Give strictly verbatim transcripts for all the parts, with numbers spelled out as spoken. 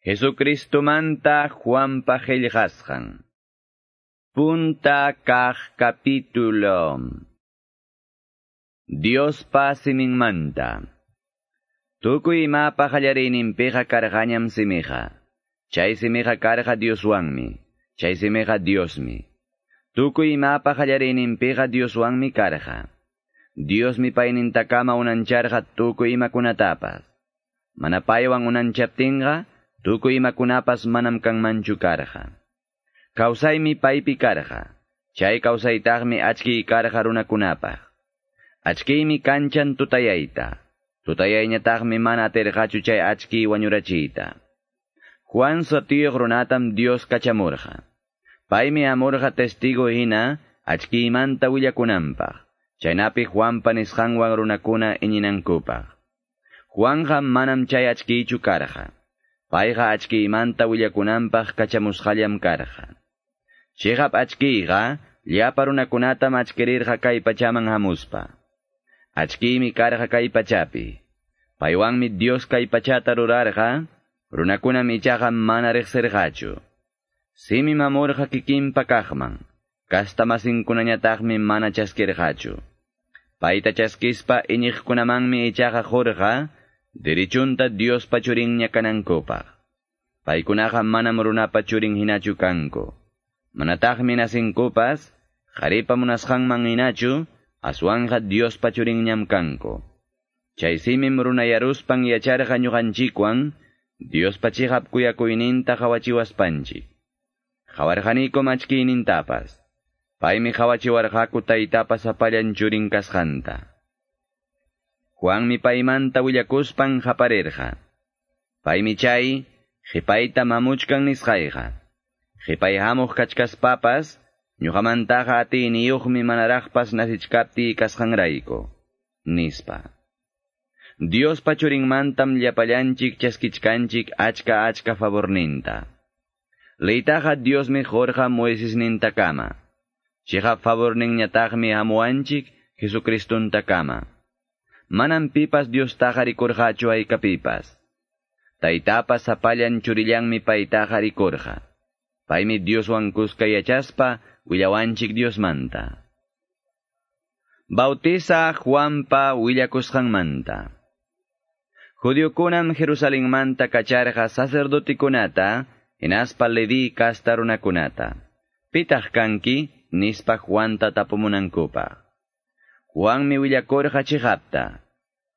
Jesucristomanta Juanpa qillqasqan. Punta kaq capítulo. Diospa siminmanta. Tukuy imapa qallariyninpiqa karqañam simiqa. Chay simiqa karqa Dioswanmi. Chay simiqa Diosmi. Tukuy imapa qallariyninpiqa Dioswanmi karqa. Diosmi paynintakama unancharqa tukuy imakunatapas. Mana paywan unanchaptinqa, tukuy imakunapas manam kanmanchu karqa. Kawsaymi paypi karqa. Chay kawsaytaqmi achkiy karqa runakunapaq. Achkiymi kanchan tutayayta. Tutayayñataqmi mana atirqachu chay achkiy wañurachiyta. Juan sutiyuq runatam Dios kachamurqa. Paymi amurqa testigo hina achkiymanta willakunanpaq. Chaynapi Juanpa nisqanwan runakuna iñinankupaq. Juanqa manam chay achkiychu karqa. Payqa achkiymanta willakunanpaq kachamusqallam karqa. Chiqap achkiyqa llapa runakunatam achkirirqa kay pachaman hamuspa. Achkiymi karqa kay pachapi. Paywanmi Dios kay pachata rurarqa, runakunam ichaqa mana riqsirqachu. Simim hamurqa kikinpa kaqman, kastamasinkunañataqmi mana chaskirqachu. Payta chaskispa iñiqkunamanmi ichaqa qurqa, dirichunta Diospa churinña kanankupaq. Paykunaqa manam runapa churin hinachu kanku. Manataqmi nasinkupas, qharipa munasqanman hinachu, aswanqa Diospa churinñam kanku. Chay simim runayaruspan yacharqa ñuqanchikwan, Diospa chiqap kuyakuyninta qawachiwaspanchik. Qawarqanikum achkiynintapas. Paymi qawachiwarqaku taytapa sapallan churin kasqanta. Juanmi paymanta willakuspan qaparirqa. Paymi chay qhipayta mamuchkan nisqayqa. Qhipay hamuq kachkaspapas, ñuqamantaqa atiyniyuqmi manaraqpas nasichkaptiy kasqanrayku, nispa. Diospa churinmantam llapallanchik chaskichkanchik achka achka favorninta. Leytaqa Diosmi qurqa Moisesnintakama. Chiqap favorninñataqmi hamuwanchik Jesucristuntakama. Manam pipas Diostaqa rikurqachu haykapipas. Taytapas sapallan churillanmi paytaqa rikurqa. Paymi Dioswan kuska yachaspa willawanchik Diosmanta. Bautiza Juanpa willakusqanmanta. Judiokunam Jerusalenmanta kacharqa sacerdotikunata, hinaspa Leví kasta runakunata. Pitaq kanki, nispa Juanta tapumunankupaq. Juanmi willakurqa chiqapta.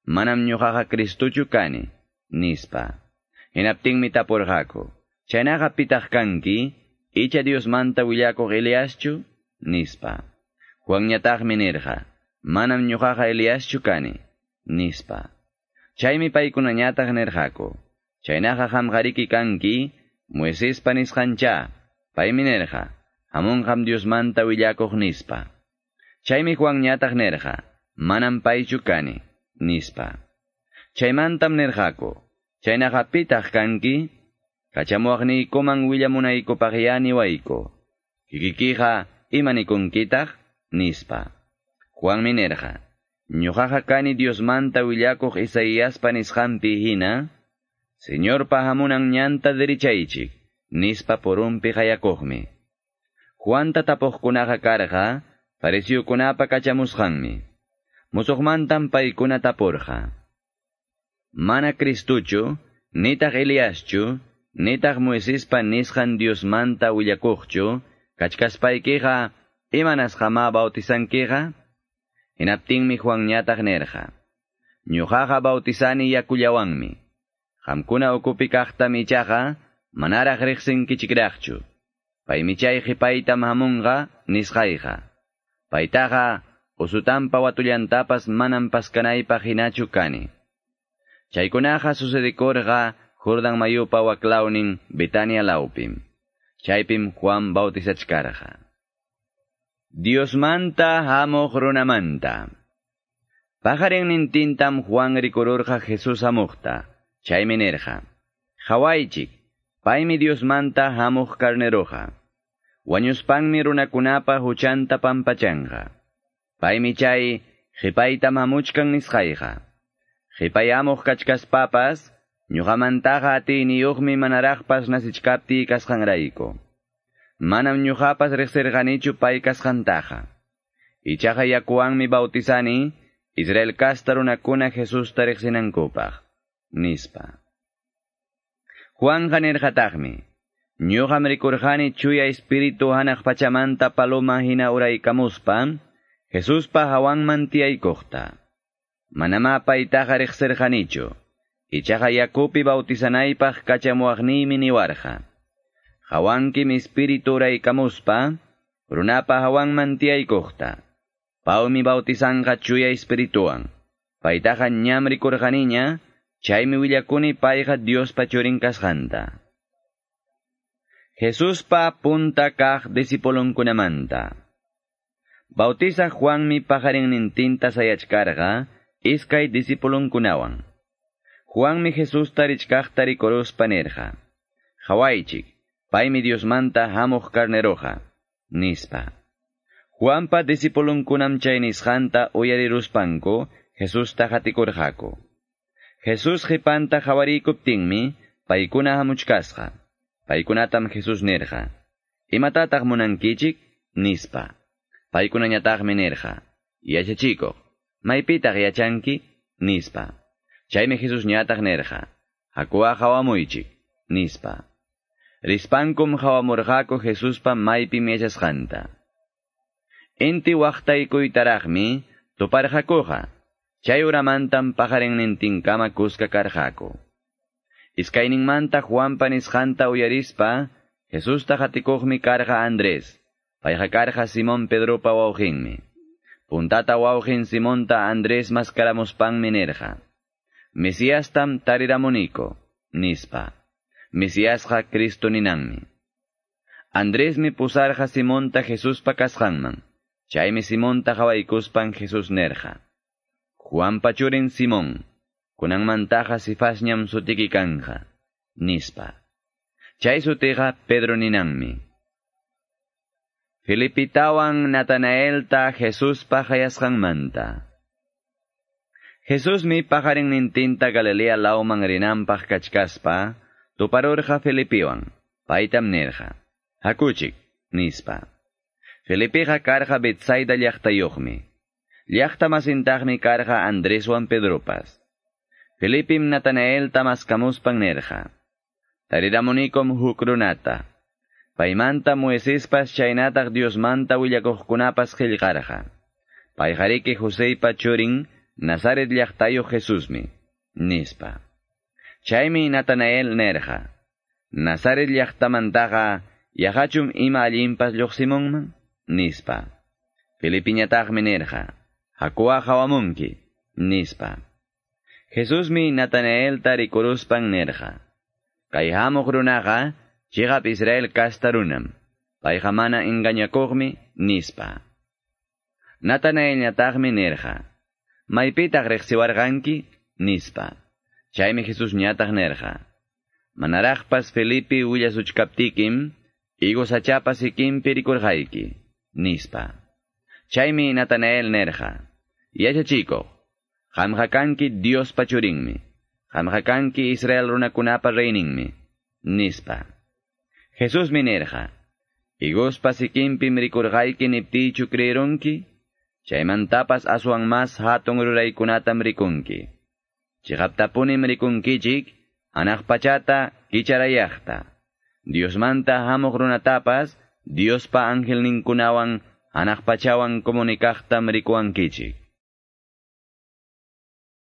Manam ñuqaqa Cristuchu kani, nispa. Hinaptinmi tapurqaku. Chaynaqa pitaq kanki, icha Diosmanta willakuq Eliaschu, nispa. Juanñataqmi nirqa, manam ñuqaqa Eliaschu kani, nispa. Chaymi paykunañataq nirqaku. Chaynaqa qamqariki kanki, Moisespa nisqancha, paymi nirqa, hamunqam Diosmanta willakuq nispa. Chaymi Juanñataq nirqa, manam paychu kani, nispa. Chaymantam nirqaku, chaynaqa pitaq kanki, kachamuwaqniykuman willamunaykupaq niwayku. Kikikiqa imanikunkitaq, nispa. Juanmi nirqa, ñuqaqa kani Diosmanta willakuq Isaiaspa nisqanpi hina, Señorpa hamunan ñanta derichaychik, nispa purunpi qayakuqmi. Juanta tapuqkunaqa karqa, fariseokunapa kachamusqanmi. Musuqmantam paykuna tapurqa. Mana Cristuchu, nitaq Eliaschu, nitaq Moisespa nisqan Diosmanta willakuqchu, kachkaspaykiqa, imanasqamá bautizankiqa? Hinaptinmi Juanñataq nirqa. Ñuqaqa bautizani yakullawanmi. Qamkuna ukupi kaqtam ichaqa, manaraq riqsinkichikraqchu. Paymi chay qhipaytam hamunqa nisqayqa. Paytaqa usutanpa watullantapas manam paskanaypaq hinachu kani. Chaykunaqa sucedikurqa Jordan mayupa waklawnin Betania lawpim. Chaypim Juan bautizachkarqa. Diosmanta hamuq runamanta. Paqarinnintintam Juan rikururqa Jesús hamuqta. Chaymi nirqa, qhawaychik, paymi Diosmanta hamuq carneroqa. Wañuspanmi runakunapa huchanta pampachanqa. Paymi chay qhipaytam hamuchkan nisqayqa. Qhipay hamuq kachkaspapas, Ñuqamantaqa atiyniyuqmi manaraqpas nasichkaptiy kasqanrayku. Manam ñuqapas riqsirqanichu pay kasqantaqa. Ichaqa yakuwanmi bautizani Israel kasta runakuna Jesusta riqsinankupaq, nispa. Juanqa nirqataqmi, ñuqam rikurqani chuya espíritu hanaq pachamanta paloma hina uraykamuspa, Jesuspa hawanman tiyaykuqta. Manamá paytaqa riqsirqanichu. Ichaqa yakupi bautizanaypaq kachamuwaqniymi niwarqa. Hawankim espíritu uraykamuspa, runapa hawanman tiyaykuqta. Pawmi bautizanqa chuya espirituwan. Paytaqa ñam rikurqaniña, chaymi willakuni payqa Diospa churin kasqanta. Jesuspa punta kaq discipulunkunamanta. Bautizaq Juanmi paqarinnintinta sayachkarqa iskay discipulunkunawan. Juanmi Jesusta richkaqta rikuruspa nirqa: Qhawaychik, paymi Diosmanta hamuq carneroqa, nispa. Juanpa discipulunkunam chay nisqanta uyariruspanku Jesusta qatikurqaku. Jesús qhipanta qhawarikuptinmi paykuna hamuchkasqa. Paykunatam Jesús nirqa: Imatataq munankichik? Nispa. Paykunañataqmi nirqa: Yachachikuq, maypitaq yachanki? Nispa. Chaymi Jesús ñataq nirqa: Hakuwa qhawamuychik, nispa. Rispankum qhawamurqaku Jesuspa maypim yachasqanta. Inti waqtaykuytaraqmi tuparqakuqa. Chay uramantam paqarinnintinkama kuska karqaku. Iskayninmanta Juanpa nisqanta uyarispa, Jesusta qatikuqmi karqa Andrés. Payqa karqa Simón Pedropa wawqinmi. Puntata wawqin Simonta Andrés maskaramuspanmi nirqa: Mesiastam tariramuniko, nispa. Mesiasqa Cristo ninanmi. Andresmi pusarqa Simonta Jesuspa kasqanman. Chaymi Simonta qhawaykuspan Jesús nirqa: Juanpa churin Simón, kunanmantaqa Cefasñam sutiki kanqa, nispa. Chay sutiqa Pedro ninanmi. Felipitawan Natanaelta Jesuspa qayasqanmanta. Jesusmi paqarinnintinta Galilea lawman rinanpaq kachkaspa, tuparurqa Felipiwan, paytam nirqa: Hakuchik, nispa. Felipiqa karqa Betsaida llaqtayuqmi. Llaqta masintaqmi karqa Andreswan Pedropas. Felipim Natanaelta maskamuspan nirqa: Tariramunikum huk runata. Paymanta Moisespas chaynataq Diosmanta willakuqkunapas qillqarqa. Payqariki Joseypa churin Nazaret llaqtayuq Jesusmi, nispa. Chaymi Natanael nirqa: Nazaret llaqtamantaqa yaqachum ima allinpas lluqsimunman, nispa. Felipiñataqmi nirqa: Hakuwa qhawamunki, nispa. Jesusmi Natanaelta rikuruspan nirqa: Kay hamuq runaqa chiqap Israel kasta runam, payqa mana engañakuqmi, nispa. Natanaelñataqmi nirqa: Maypitaq riqsiwarqanki? Nispa. Chaymi Jesús ñataq nirqa: Manaraqpas Felipe willasuchkaptikim, higo sachapa sikinpi rikurqayki, nispa. Chaymi Natanael nirqa: Yachachikuq, qamqa kanki Diospa churinmi, qamqa kanki Israel runakunapa reyninmi, nispa. Jesusmi nirqa: Higospa sikinpim rikurqayki niptiychu creerunki? Chaymantapas aswan mas hatun ruraykunatam rikunki. Chiqaptapunim rikunkichik, hanaq pachata kicharayaqta. Diosmanta hamuq runatapas, Diospa angelninkunawan hanaq pachawan comunicaqtam rikuwankichik.